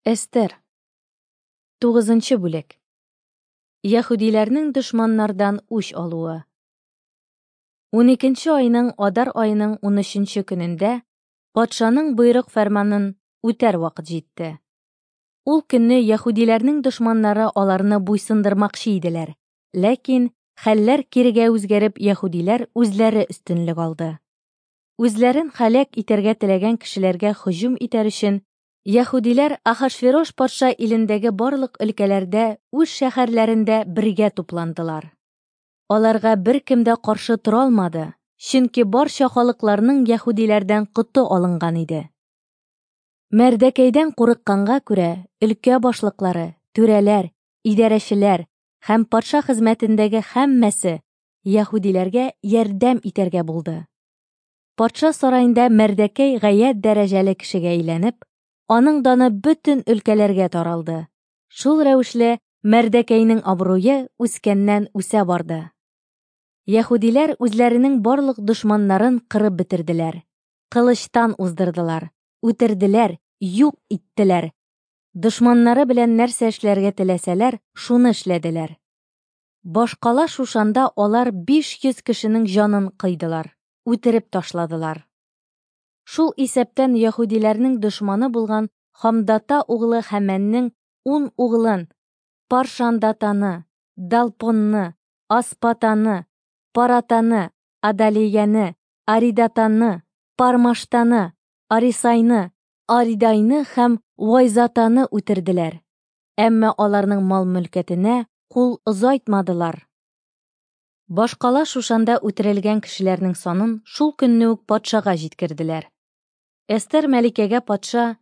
Эстер. Тугызынчы бүлек. Яһүдиләрнең дошманнардан үч алуы. Уникенче айның Адар аеның унөченче көнендә патшаның боерык-фәрманын үтәр вакыт җитте. Ул көнне яһүдиләрнең дошманнары аларны буйсындырмакчы иделәр, ләкин хәлләр кирегә үзгәреп яһүдиләр үзләре өстенлек алды. Үзләрен һәлак итәргә теләгән кешеләргә һөҗүм итәр өчен Яһүдиләр Ахашверош патша илендәге барлык өлкәләрдә үз шәһәрләрендә бергә тупландылар. Аларга беркем дә каршы тора алмады, чөнки барча халыкларның яһүдиләрдән коты алынган иде. Мәрдәкәйдән курыкканга күрә, өлкә башлыклары, түрәләр, идарәчеләр һәм патша хезмәтендәге һәммәсе яһүдиләргә ярдәм итәргә булды. Патша сараенда Мәрдәкәй гаять дәрәҗәле кешегә әйләнеп, аның даны бөтен өлкәләргә таралды. Шул рәвешле Мәрдәкәйнең абруе үскәннән үсә барды. Яһүдиләр үзләренең барлык дошманнарын кырып бетерделәр. Кылычтан уздырдылар, үтерделәр, юк иттеләр. Дошманнары белән нәрсә эшләргә теләсәләр, шуны эшләделәр. Башкала Шушанда алар 500 кешенең җанын кыйдылар, үтереп ташладылар. Шул исәптән яһүдиләрнең дошманы булган Хамдата углы Хәмәннең ун углын, Паршандатаны, Далпонны, Аспатаны, Паратаны, Адалияне, Аридатаны, Пармаштаны, Арисайны, Аридайны һәм Вайзатаны үтерделәр. Әмма аларның мал-мөлкәтенә кул озайтмадылар. Башкала Шушанда үтерелгән кешеләрнең санын шул көнне үк патшага җиткерделәр. Эстер мәликәгә патша,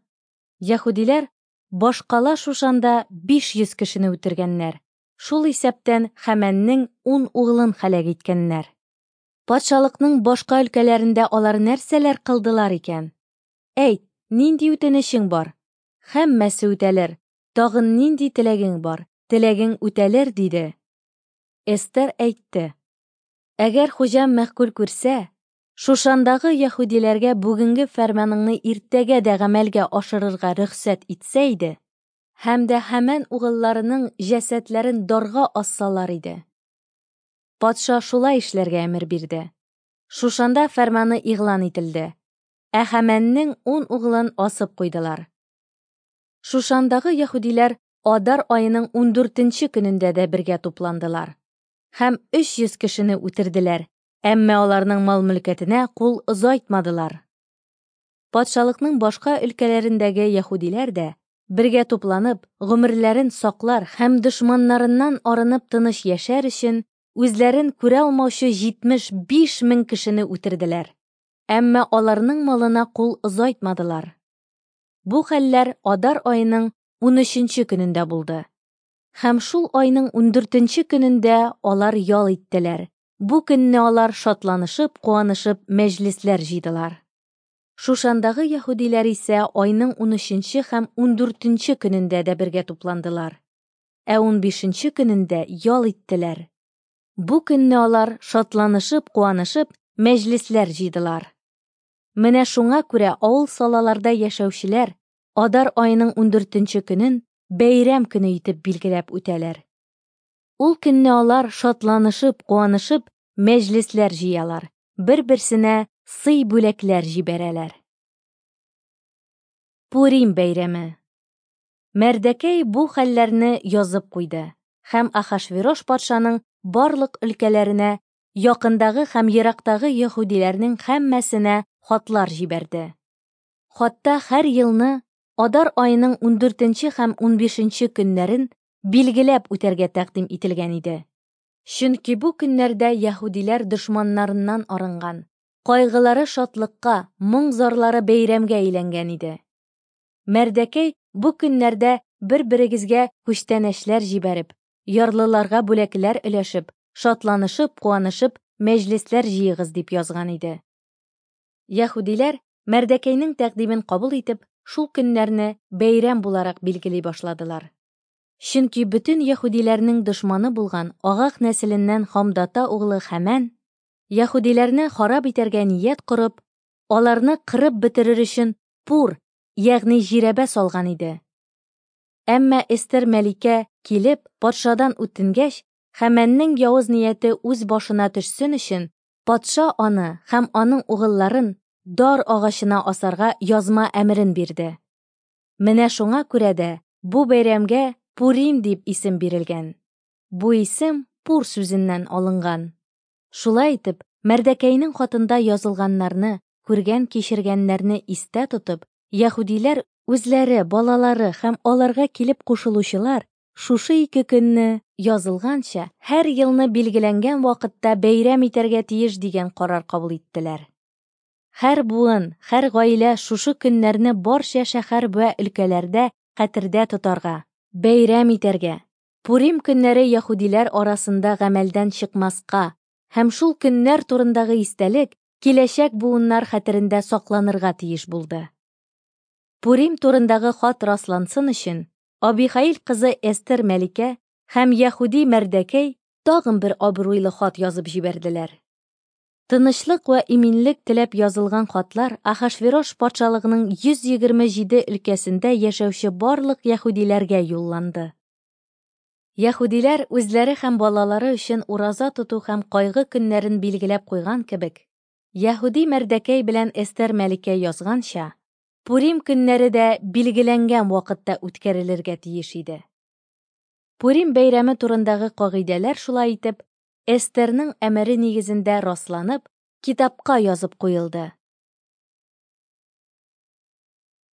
Яһүдиләр башкала Шушанда 500 кешене үтергәннәр, шул исәптән Хәмәннең ун углын һәлак иткәннәр. Патшалыкның башка өлкәләрендә алар нәрсәләр кылдылар икән? Әйт, нинди үтенечең бар? Һәммәсе үтәлер. Тагын нинди теләгең бар? Теләгең үтәлер, диде. Эстер әйтте: Әгәр хуҗам мәгъкуль күрсә, Шушандагы яһүдиләргә бүгенге фәрманыңны иртәгә дә гамәлгә ашырырга рөхсәт итсә иде, һәм дә Һәмән угылларының җәсәдләрен дарга ассалар иде. Патша шулай эшләргә әмер бирде. Шушанда фәрманы игълан ителде. Ә Һәмәннең ун угылын асып куйдылар. Шушандагы яһүдиләр Адар аеның ундүртенче көнендә дә бергә тупландылар. Һәм 300 кешене үтерделәр, әмма аларның мал-мөлкәтенә кул озайтмадылар. Патшалыкның башка өлкәләрендәге яһүдиләр дә, бергә тупланып, гомерләрен саклар һәм дошманнарыннан арынып тыныч яшәр өчен, үзләрен күрә алмаучы 75 мең кешене үтерделәр. Әмма аларның малына кул озайтмадылар. Бу хәлләр Адар аеның унөченче көнендә булды. Һәм шул айның ундүртенче көнендә алар ял иттеләр. Бу көнне алар шатланышып, куанышып мәҗлесләр җыйдылар. Шушандагы яһүдиләр исә айның унөченче һәм ундүртенче көнендә дә бергә тупландылар. Ә унбишенче көнендә ял иттеләр. Бу көнне алар шатланышып, куанышып мәҗлесләр җыйдылар. Менә шуңа күрә авыл-салаларда яшәүчеләр Адар аеның ундүртенче көнен бәйрәм көне итеп билгеләп үтәләр. Ул көнне алар шатланышып, куанышып мәҗлесләр җыялар, бер-берсенә сый-бүләкләр җибәрәләр. Пурим бәйрәме. Мәрдәкәй бу хәлләрне язып куйды һәм Ахашверош патшаның барлык өлкәләренә, якындагы һәм ерактагы яһүдиләрнең һәммәсенә хатлар җибәрде. Хатта һәр елны Адар аеның ундүртенче һәм унбишенче көннәрен билгеләп үтәргә тәкъдим ителгән иде. Чөнки бу көннәрдә яһүдиләр дошманнарыннан арынган, кайгылары шатлыкка, моң-зарлары бәйрәмгә әйләнгән иде. Мәрдәкәй бу көннәрдә бер-берегезгә күчтәнәчләр җибәреп, ярлыларга бүләкләр өләшеп, шатланышып, куанышып мәҗлесләр җыегыз дип язган иде. Яһүдиләр Мәрдәкәйнең тәкъдимен кабул итеп, шул көннәрне бәйрәм буларак билгели башладылар. Чөнки бөтен яһүдиләрнең дошманы булган Агаг нәселеннән Хамдата углы Хәмән, яһүдиләрне харап итәргә ният корып, аларны кырып бетерер өчен пур, ягъни жирәбә салган иде. Әмма Эстер мәликә, килеп, патшадан үтенгәч, Хәмәннең явыз нияте үз башына төшсен өчен, патша аны һәм аның угылларын дар агачына асарга язма әмерен бирде. Менә шуңа күрә дә бу бәйрәмгә Пурим дип исем бирелгән. Бу исем пур сүзеннән алынган. Шулай итеп, Мәрдәкәйнең хатында язылганнарны, күргән-кичергәннәрне истә тотып, яһүдиләр үзләре, балалары һәм аларга килеп кушылучылар шушы ике көнне, язылганча, һәр елны билгеләнгән вакытта бәйрәм итәргә тиеш дигән карар кабул иттеләр. Һәр буын, һәр гаилә шушы көннәрне барча шәһәр вә өлкәләрдә хәтердә тотарга, бәйрәм итәргә, Пурим көннәре яһүдиләр арасында гамәлдән чыкмаска һәм шул көннәр турындагы истәлек киләчәк буыннар хәтерендә сакланырга тиеш булды. Пурим турындагы хат раслансын өчен, Абихаил кызы Эстер мәликә һәм яһүди Мәрдәкәй тагын бер абруйлы хат язып җибәрделәр. Тынычлык вә иминлек теләп язылган хатлар Ахашверош патшалыгының 127 өлкәсендә яшәүче барлык яһүдиләргә юлланды. Яһүдиләр үзләре һәм балалары өчен ураза тоту һәм кайгы көннәрен билгеләп куйган кебек, яһүди Мәрдәкәй белән Эстер мәликә язганча, Пурим көннәре дә билгеләнгән вакытта үткәрелергә тиеш иде. Пурим бәйрәме турындагы кагыйдәләр шулай итеп, Эстерның әмере нигезендә расланып, китапка язып куелды.